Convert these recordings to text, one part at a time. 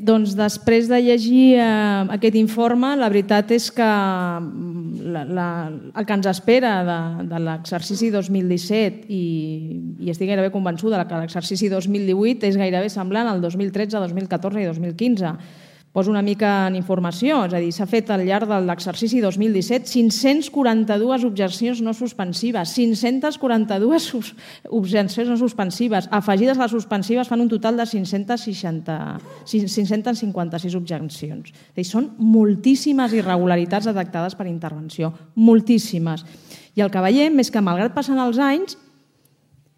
Doncs després de llegir aquest informe, la veritat és que el que ens espera de l'exercici 2017 i estic gairebé convençuda que l'exercici 2018 és gairebé semblant al 2013, 2014 i 2015. Poso una mica en informació, és a dir, s'ha fet al llarg de l'exercici 2017 542 objeccions no suspensives, 542 objeccions no suspensives, afegides a les suspensives fan un total de 556 objeccions. És a dir, són moltíssimes irregularitats detectades per intervenció, moltíssimes. I el que veiem és que, malgrat passen els anys,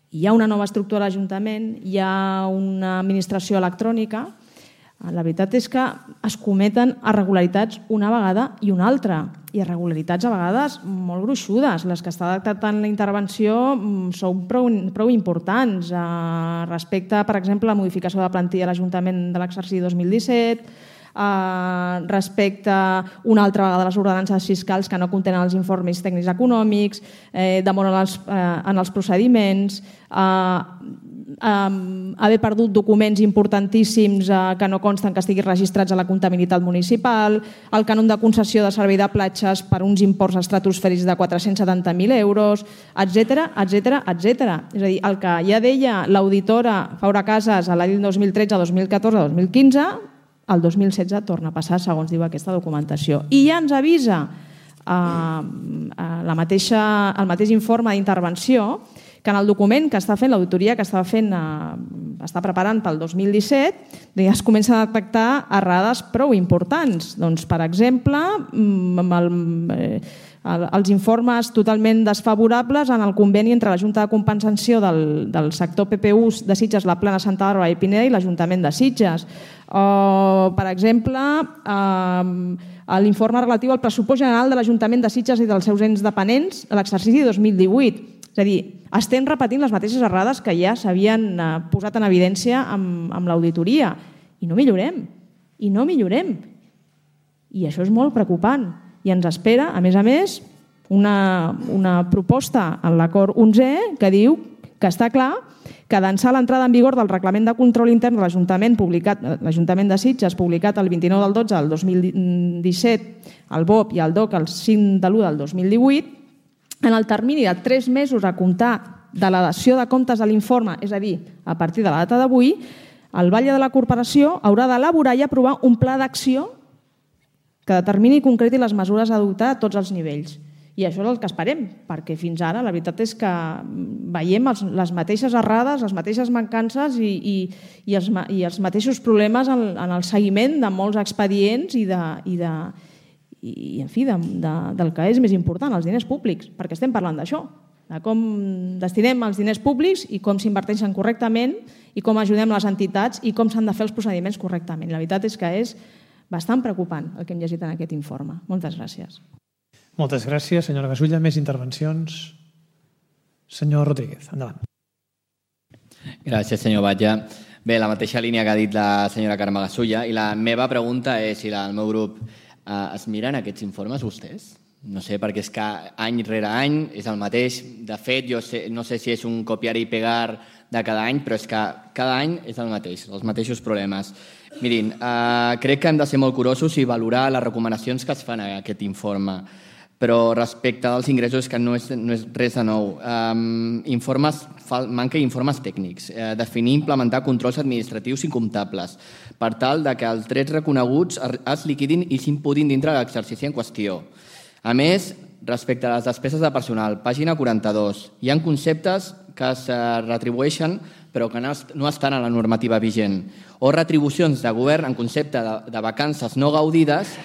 hi ha una nova estructura a l'Ajuntament, hi ha una administració electrònica. La veritat és que es cometen irregularitats una vegada i una altra, i irregularitats a vegades molt gruixudes. Les que està detectant la intervenció són prou importants respecte, per exemple, a la modificació de la plantilla de l'Ajuntament de l'exercici 2017, respecte una altra vegada a les ordenances fiscals que no contenen els informes tècnics econòmics, demora en els procediments, haver perdut documents importantíssims que no consten que estiguin registrats a la comptabilitat municipal, el cànon de concessió de servei de platges per uns imports estratosfèrics de 470.000 euros, etc. És a dir, el que ja deia l'auditora Faura Casas a l'any 2013, 2014, 2015, el 2016 torna a passar, segons diu aquesta documentació. I ja ens avisa el mateix informe d'intervenció que en el document que està fent, l'auditoria que està preparant pel 2017, es comença a detectar errades prou importants. Doncs, per exemple, els informes totalment desfavorables en el conveni entre la Junta de Compensació del sector PPUs de Sitges, la Plana Santa Bàrbara i Pineda i l'Ajuntament de Sitges. O, per exemple, l'informe relatiu al pressupost general de l'Ajuntament de Sitges i dels seus ens dependents a l'exercici 2018. És a dir, estem repetint les mateixes errades que ja s'havien posat en evidència amb l'auditoria. I no millorem. I això és molt preocupant. I ens espera, a més, una proposta en l'acord 11è que diu que està clar que d'ençà l'entrada en vigor del Reglament de Control Intern de l'Ajuntament de Sitges, publicat el 29 del 12 del 2017, el BOP i el DOC el 5 de l'1 del 2018, en el termini de 3 mesos a comptar de la dació de comptes de l'informe, és a dir, a partir de la data d'avui, el Batlle de la Corporació haurà d'elaborar i aprovar un pla d'acció que determini i concreti les mesures a adoptar a tots els nivells. I això és el que esperem, perquè fins ara la veritat és que veiem les mateixes errades, les mateixes mancances i els mateixos problemes en el seguiment de molts expedients i en fi, del que és més important, els diners públics, perquè estem parlant d'això, de com destinem els diners públics i com s'inverteixen correctament i com ajudem les entitats i com s'han de fer els procediments correctament. La veritat és que és bastant preocupant el que hem llegit en aquest informe. Moltes gràcies. Moltes gràcies, senyora Gasulla. Més intervencions? Senyor Rodríguez, endavant. Gràcies, senyor Batlle. Bé, la mateixa línia que ha dit la senyora Carme Gasulla, i la meva pregunta és, i la del meu grup, es miren aquests informes vostès? No sé, perquè és que any rere any és el mateix. De fet, jo no sé si és un copiar i pegar de cada any, però és que cada any és el mateix, els mateixos problemes. Mirin, crec que hem de ser molt curosos i valorar les recomanacions que es fan a aquest informe. Però respecte als ingressos, que no és res de nou. Manca informes tècnics. Definir i implementar controls administratius i comptables per tal que els drets reconeguts es liquidin i s'imputin dintre de l'exercici en qüestió. A més, respecte a les despeses de personal, pàgina 42, hi ha conceptes que es retribueixen però que no estan a la normativa vigent, o retribucions de govern en concepte de vacances no gaudides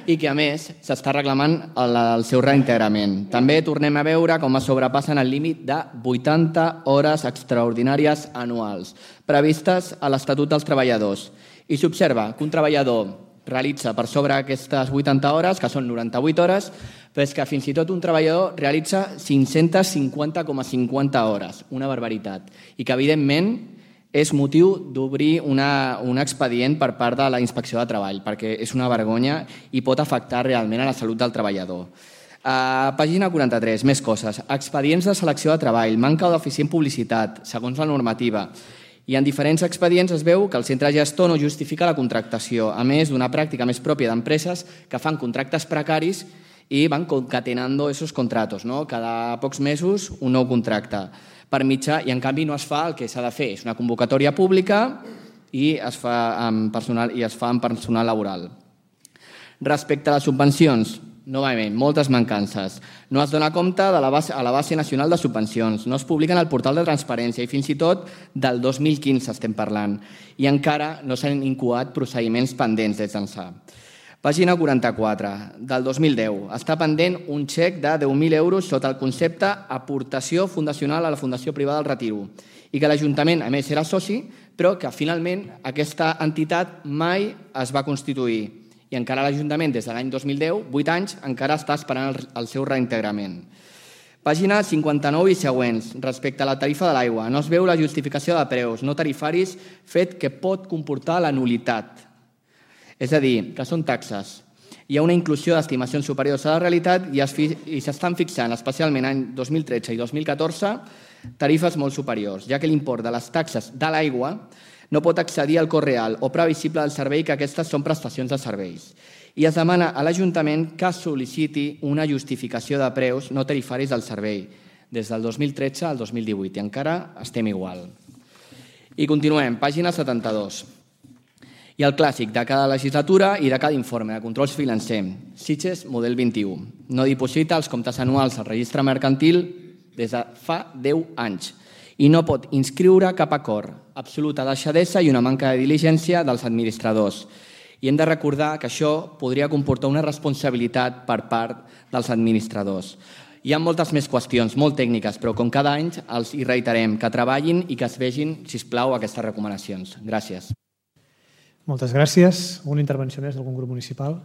i que, a més, s'està reclamant el seu reintegrament. També tornem a veure com es sobrepassen el límit de 80 hores extraordinàries anuals previstes a l'Estatut dels Treballadors. I s'observa que un treballador realitza per sobre aquestes 80 hores, que són 98 hores, però és que fins i tot un treballador realitza 550,50 hores, una barbaritat, i que, evidentment, és motiu d'obrir un expedient per part de la Inspecció de Treball, perquè és una vergonya i pot afectar realment a la salut del treballador. Pàgina 43, més coses. Expedients de selecció de treball, manca d'eficient publicitat, segons la normativa. I en diferents expedients es veu que el centre gestor no justifica la contractació, a més d'una pràctica més pròpia d'empreses que fan contractes precaris i van concatenando esos contratos, no? Cada pocs mesos un nou contracte per mitjà, i en canvi no es fa el que s'ha de fer. És una convocatòria pública i es fa amb personal laboral. Respecte a les subvencions, novament, moltes mancances. No es dona compte a la base nacional de subvencions, no es publiquen al portal de transparència i fins i tot del 2015 estem parlant. I encara no s'han incoat procediments pendents des d'ençà. Pàgina 44, del 2010. Està pendent un xec de 10.000 euros sota el concepte aportació fundacional a la Fundació Privada del Retiro i que l'Ajuntament, a més, era soci, però que finalment aquesta entitat mai es va constituir. I encara l'Ajuntament, des de l'any 2010, 8 anys, encara està esperant el seu reintegrament. Pàgina 59 i següents, respecte a la tarifa de l'aigua. No es veu la justificació de preus no tarifaris, fet que pot comportar la nulitat. És a dir, que són taxes. Hi ha una inclusió d'estimacions superiors a la realitat i s'estan fixant, especialment any 2013 i 2014, tarifes molt superiors, ja que l'import de les taxes de l'aigua no pot accedir al cost real o previsible del servei, que aquestes són prestacions de serveis. I es demana a l'Ajuntament que sol·liciti una justificació de preus no tarifaris del servei des del 2013 al 2018 i encara estem igual. I continuem, pàgina 72. I el clàssic de cada legislatura i de cada informe de control financer. Sitges, model 21. No diposita els comptes anuals al registre mercantil des de fa 10 anys i no pot inscriure cap acord. Absoluta deixadesa i una manca de diligència dels administradors. I hem de recordar que això podria comportar una responsabilitat per part dels administradors. Hi ha moltes més qüestions, molt tècniques, però com cada any els hi reiterem que treballin i que es vegin, sisplau, aquestes recomanacions. Gràcies. Moltes gràcies. Una intervenció més d'algun grup municipal?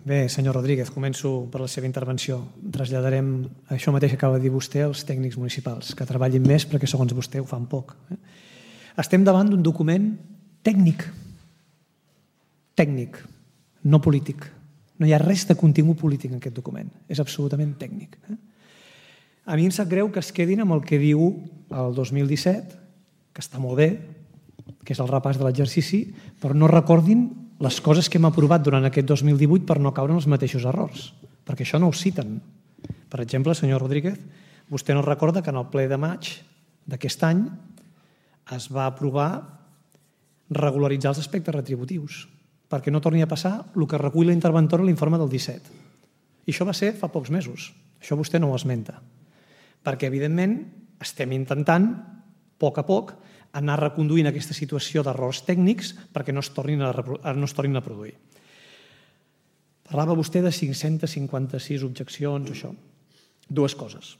Bé, senyor Rodríguez, començo per la seva intervenció. Traslladarem això mateix que acaba de dir vostè als tècnics municipals, que treballin més perquè, segons vostè, ho fan poc. Estem davant d'un document tècnic, no polític. No hi ha res de contingut polític en aquest document. És absolutament tècnic. A mi em sap greu que es quedin amb el que diu el 2017, que està molt bé, que és el repàs de l'exercici, però no recordin les coses que hem aprovat durant aquest 2018 per no caure en els mateixos errors, perquè això no ho citen. Per exemple, senyor Rodríguez, vostè no recorda que en el ple de maig d'aquest any es va aprovar regularitzar els aspectes retributius, perquè no torni a passar el que recull la interventora a l'informe del 17. I això va ser fa pocs mesos. Això vostè no ho esmenta. Perquè, evidentment, estem intentant, a poc, anar reconduint aquesta situació d'errors tècnics perquè no es tornin a produir. Parlava vostè de 556 objeccions, això. Dues coses.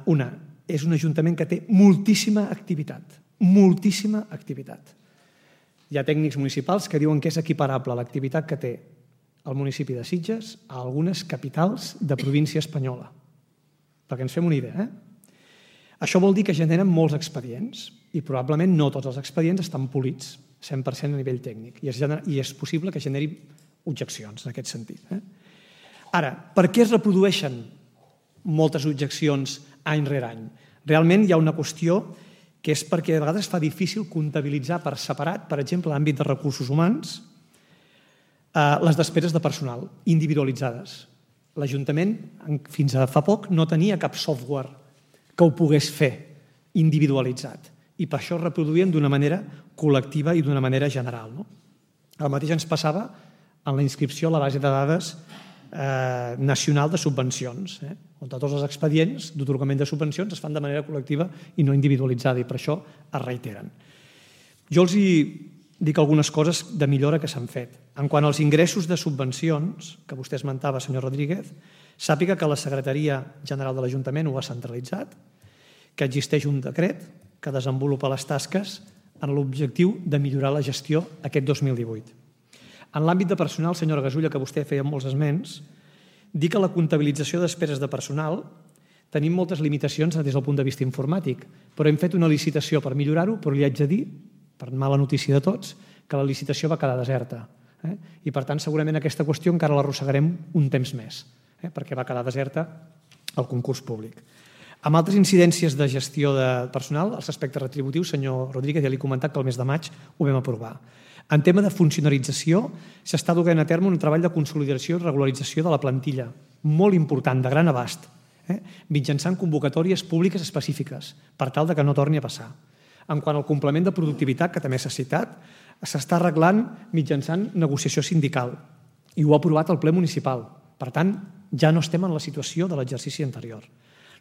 Una, és un ajuntament que té moltíssima activitat. Moltíssima activitat. Hi ha tècnics municipals que diuen que és equiparable l'activitat que té el municipi de Sitges a algunes capitals de província espanyola. Perquè ens fem una idea, Això vol dir que generen molts expedients i probablement no tots els expedients estan polits 100% a nivell tècnic i és possible que generi objeccions en aquest sentit. Ara, per què es reprodueixen moltes objeccions any rere any? Realment hi ha una qüestió que és perquè de vegades fa difícil comptabilitzar per separat, per exemple, l'àmbit de recursos humans, les despeses de personal individualitzades. L'Ajuntament, fins a fa poc, no tenia cap software que ho pogués fer individualitzat i per això es reproduïen d'una manera col·lectiva i d'una manera general. El mateix ens passava en la inscripció a la base de dades nacional de subvencions, on tots els expedients d'atorgament de subvencions es fan de manera col·lectiva i no individualitzada i per això es reiteren. Jo els dic algunes coses de millora que s'han fet. En quant als ingressos de subvencions, que vostè esmentava, senyor Rodríguez, sàpiga que la Secretaria General de l'Ajuntament ho ha centralitzat, que existeix un decret que desenvolupa les tasques en l'objectiu de millorar la gestió aquest 2018. En l'àmbit de personal, senyora Gasulla, que vostè feia molts esments, dir que la comptabilització de despeses de personal tenim moltes limitacions des del punt de vista informàtic, però hem fet una licitació per millorar-ho, però li haig de dir, per mala notícia de tots, que la licitació va quedar deserta. I per tant, segurament aquesta qüestió encara l'arrossegarem un temps més, perquè va quedar deserta el concurs públic. Amb altres incidències de gestió de personal, els aspectes retributius, senyor Rodríguez, ja li he comentat que el mes de maig ho vam aprovar. En tema de funcionarització, s'està duent a terme un treball de consolidació i regularització de la plantilla, molt important, de gran abast, mitjançant convocatòries públiques específiques, per tal que no torni a passar. En quant al complement de productivitat, que també s'ha citat, s'està arreglant mitjançant negociació sindical i ho ha aprovat el ple municipal. Per tant, ja no estem en la situació de l'exercici anterior.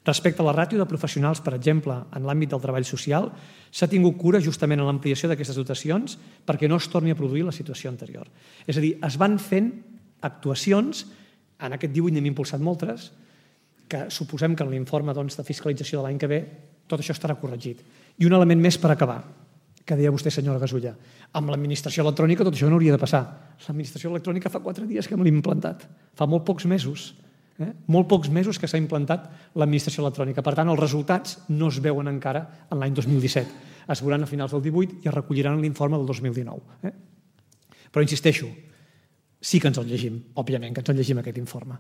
Respecte a la ràtio de professionals, per exemple, en l'àmbit del treball social, s'ha tingut cura justament en l'ampliació d'aquestes dotacions perquè no es torni a produir la situació anterior. És a dir, es van fent actuacions, en aquest 18 n'hem impulsat moltes, que suposem que en l'informe de fiscalització de l'any que ve tot això estarà corregit. I un element més per acabar, que deia vostè, senyora Gasulla. Amb l'administració electrònica tot això no hauria de passar. L'administració electrònica fa 4 dies que me l'he implantat. Fa molt pocs mesos. Molt pocs mesos que s'ha implantat l'administració electrònica. Per tant, els resultats no es veuen encara en l'any 2017. Es veuran a finals del 18 i es recolliran en l'informe del 2019. Però insisteixo, sí que ens el llegim, òbviament que ens el llegim aquest informe.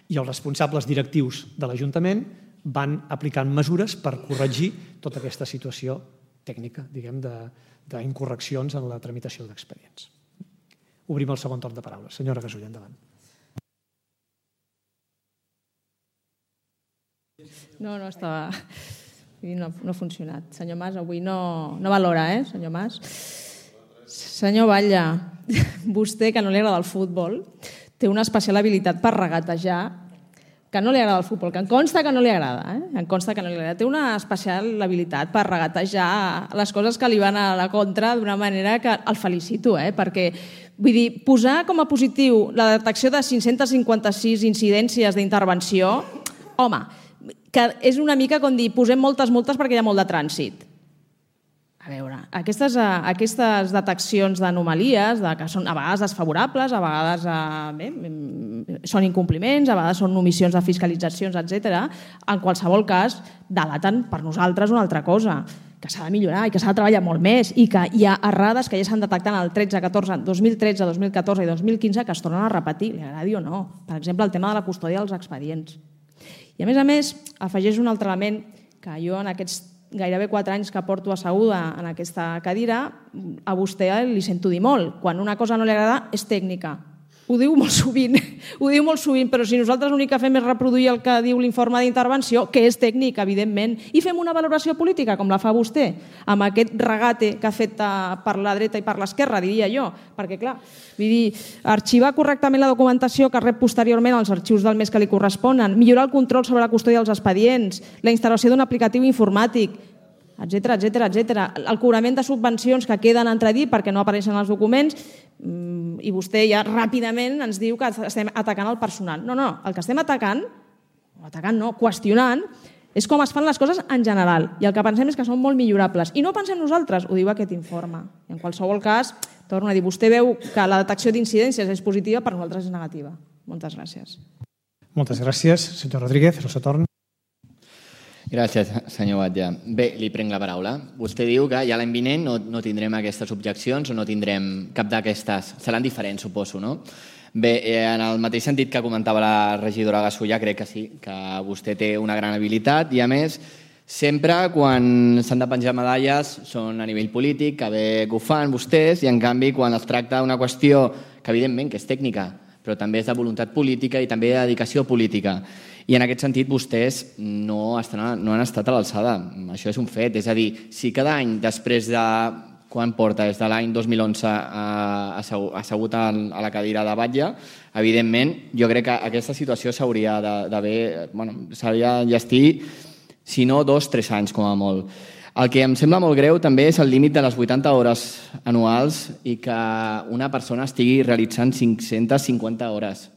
I els responsables directius de l'Ajuntament van aplicant mesures per corregir tota aquesta situació tècnica, diguem, d'incorreccions en la tramitació d'expedients. Obrim el segon torn de paraules. Senyora Gasulla, endavant. No estava... No ha funcionat. Senyor Mas, avui no valora, senyor Mas? Senyor Batlle, vostè, que no li agrada el futbol, té una especial habilitat per regatejar, que no li agrada el futbol, que em consta que no li agrada, em consta que no li agrada. Té una especial habilitat per regatejar les coses que li van a la contra d'una manera que el felicito, perquè, vull dir, posar com a positiu la detecció de 556 incidències d'intervenció, home, que és una mica com dir, posem moltes multes perquè hi ha molt de trànsit. A veure, aquestes deteccions d'anomalies, que són a vegades desfavorables, a vegades són incompliments, a vegades són omissions de fiscalitzacions, etc. En qualsevol cas, delaten per nosaltres una altra cosa, que s'ha de millorar i que s'ha de treballar molt més i que hi ha errades que ja s'han detectat en el 2013, 2014 i 2015 que es tornen a repetir, li agradi o no. Per exemple, el tema de la custòdia dels expedients. I a més, afegeix un altre element que jo en aquests gairebé 4 anys que porto asseguda en aquesta cadira, a vostè li sento dir molt. Quan una cosa no li agrada és tècnica. Ho diu molt sovint, però si nosaltres l'únic que fem és reproduir el que diu l'informe d'intervenció, que és tècnic, evidentment, i fem una valoració política, com la fa vostè, amb aquest regate que ha fet per la dreta i per l'esquerra, diria jo, perquè, clar, vull dir, arxivar correctament la documentació que rep posteriorment als arxius del mes que li corresponen, millorar el control sobre la custòdia dels expedients, la instal·lació d'un aplicatiu informàtic, etc. El cobrament de subvencions que queden entredir perquè no apareixen els documents, i vostè ja ràpidament ens diu que estem atacant el personal. No, el que estem qüestionant, és com es fan les coses en general. I el que pensem és que són molt millorables. I no pensem nosaltres, ho diu aquest informe. I en qualsevol cas, torno a dir, vostè veu que la detecció d'incidències és positiva, per nosaltres és negativa. Moltes gràcies. Moltes gràcies, senyor Rodríguez. El seu torn. Gràcies, senyor Batlle. Bé, li prenc la paraula. Vostè diu que ja l'any vinent no tindrem aquestes objeccions o no tindrem cap d'aquestes. Seran diferents, suposo, no? Bé, en el mateix sentit que comentava la regidora Gasulla, crec que sí, que vostè té una gran habilitat i, a més, sempre quan s'han de penjar medalles són a nivell polític, que bé que ho fan vostès, i en canvi quan es tracta d'una qüestió que evidentment que és tècnica, però també és de voluntat política i també de dedicació política. I en aquest sentit vostès no han estat a l'alçada. Això és un fet. És a dir, si cada any després de... Quan porta? Des de l'any 2011 assegut a la cadira de batlle, evidentment, jo crec que aquesta situació s'hauria d'haver... s'hauria d'enllestir, si no 2-3 anys com a molt. El que em sembla molt greu també és el límit de les 80 hores anuals i que una persona estigui realitzant 550 hores.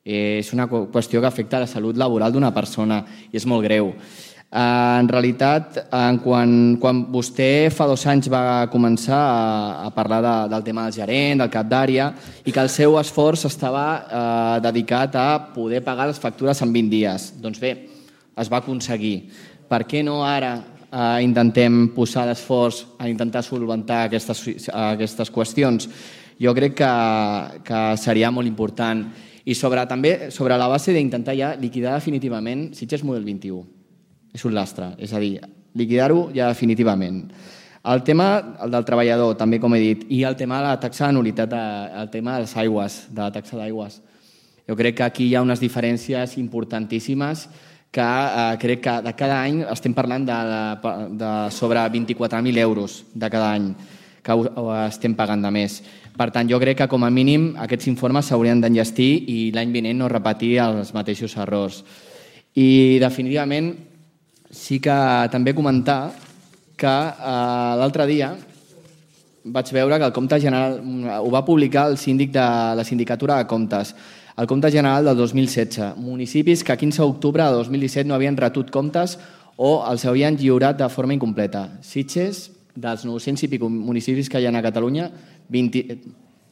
És una qüestió que afecta la salut laboral d'una persona i és molt greu. En realitat, quan vostè fa 2 anys va començar a parlar del tema del gerent, del cap d'àrea, i que el seu esforç estava dedicat a poder pagar les factures en 20 dies. Doncs bé, es va aconseguir. Per què no ara intentem posar l'esforç a intentar solventar aquestes qüestions? Jo crec que seria molt important. I també sobre la base d'intentar ja liquidar definitivament Sitges Model 21. És un lastre, és a dir, liquidar-ho ja definitivament. El tema del treballador, també com he dit, i el tema de la taxa de nul·litat, el tema de les aigües, de la taxa d'aigües. Jo crec que aquí hi ha unes diferències importantíssimes que crec que de cada any estem parlant de sobre 24.000 euros de cada any que estem pagant de més. Per tant, jo crec que com a mínim aquests informes s'haurien d'enllestir i l'any vinent no repetir els mateixos errors. I definitivament sí que també comentar que l'altre dia vaig veure que el compte general ho va publicar el síndic de la Sindicatura de Comptes, el compte general del 2016. Municipis que a 15 d'octubre de 2017 no havien retut comptes o els havien lliurat de forma incompleta. Sitges, dels 900 i pico municipis que hi ha a Catalunya,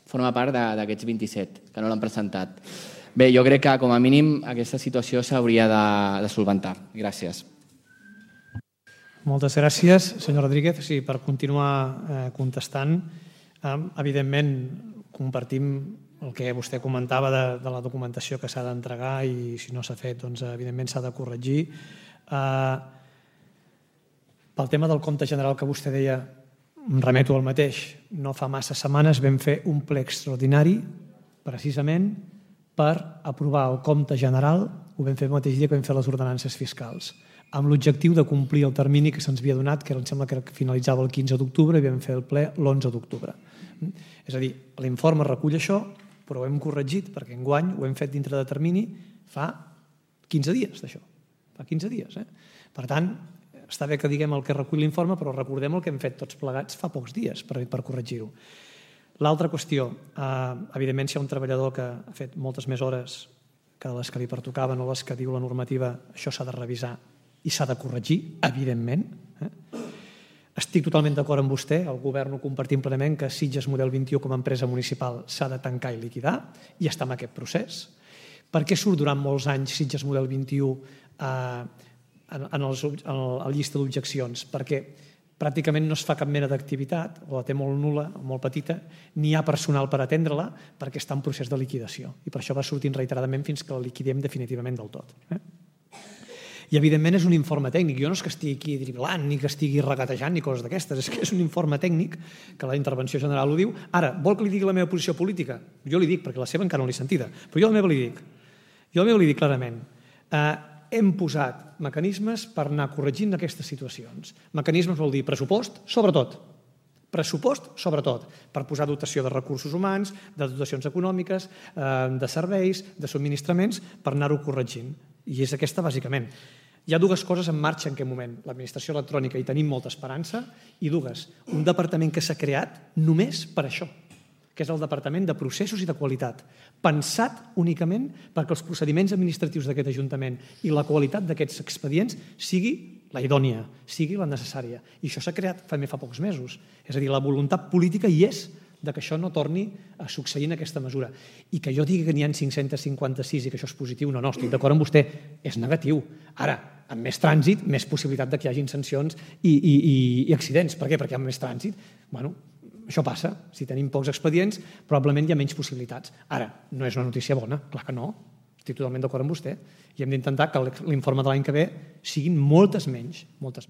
forma part d'aquests 27, que no l'han presentat. Bé, jo crec que com a mínim aquesta situació s'hauria de solventar. Gràcies. Moltes gràcies, senyor Rodríguez. Sí, per continuar contestant, evidentment compartim el que vostè comentava de la documentació que s'ha d'entregar i si no s'ha fet, doncs, evidentment s'ha de corregir. Pel tema del compte general que vostè deia, em remeto al mateix. No fa massa setmanes vam fer un ple extraordinari precisament per aprovar el compte general, ho vam fer el mateix dia que vam fer les ordenances fiscals, amb l'objectiu de complir el termini que se'ns havia donat, que em sembla que finalitzava el 15 d'octubre i vam fer el ple l'11 d'octubre. És a dir, l'informe recull això, però ho hem corregit perquè enguany ho hem fet dintre de termini fa 15 dies d'això, fa 15 dies. Per tant, està bé que diguem el que recull l'informe, però recordem el que hem fet tots plegats fa pocs dies per corregir-ho. L'altra qüestió, evidentment, si hi ha un treballador que ha fet moltes més hores que les que li pertocaven o les que diu la normativa, això s'ha de revisar i s'ha de corregir, evidentment. Estic totalment d'acord amb vostè, el govern ho compartim plenament, que Sitges Model 21 com a empresa municipal s'ha de tancar i liquidar, i està en aquest procés. Per què surt durant molts anys Sitges Model 21 en la llista d'objeccions? Perquè pràcticament no es fa cap mena d'activitat, o la té molt nul·la, molt petita, ni hi ha personal per atendre-la perquè està en procés de liquidació. I per això va sortint reiteradament fins que la liquidem definitivament del tot. I evidentment és un informe tècnic. Jo no és que estigui aquí driblant, ni que estigui regatejant, ni coses d'aquestes. És que és un informe tècnic, que la intervenció general ho diu. Ara, vol que li digui la meva posició política? Jo li dic, perquè la seva encara no l'he sentida, però jo la meva li dic. Jo la meva li dic clarament. Hem posat mecanismes per anar corregint aquestes situacions. Mecanismes vol dir pressupost, sobretot. Pressupost, sobretot, per posar dotació de recursos humans, de dotacions econòmiques, de serveis, de subministraments, per anar-ho corregint. I és aquesta, bàsicament. Hi ha dues coses en marxa en aquest moment. L'administració electrònica hi tenim molta esperança i dues. Un departament que s'ha creat només per això, que és el Departament de Processos i de Qualitat, pensat únicament perquè els procediments administratius d'aquest Ajuntament i la qualitat d'aquests expedients sigui la idònia, sigui la necessària. I això s'ha creat fa pocs mesos. És a dir, la voluntat política hi és de que això no torni a succeir en aquesta mesura. I que jo digui que n'hi ha 556 i que això és positiu, no, estic d'acord amb vostè, és negatiu. Ara, amb més trànsit, més possibilitat que hi hagin sancions i accidents. Per què? Perquè amb més trànsit, bueno, això passa. Si tenim pocs expedients, probablement hi ha menys possibilitats. Ara, no és una notícia bona, clar que no. Estic totalment d'acord amb vostè. I hem d'intentar que l'informe de l'any que ve siguin moltes menys.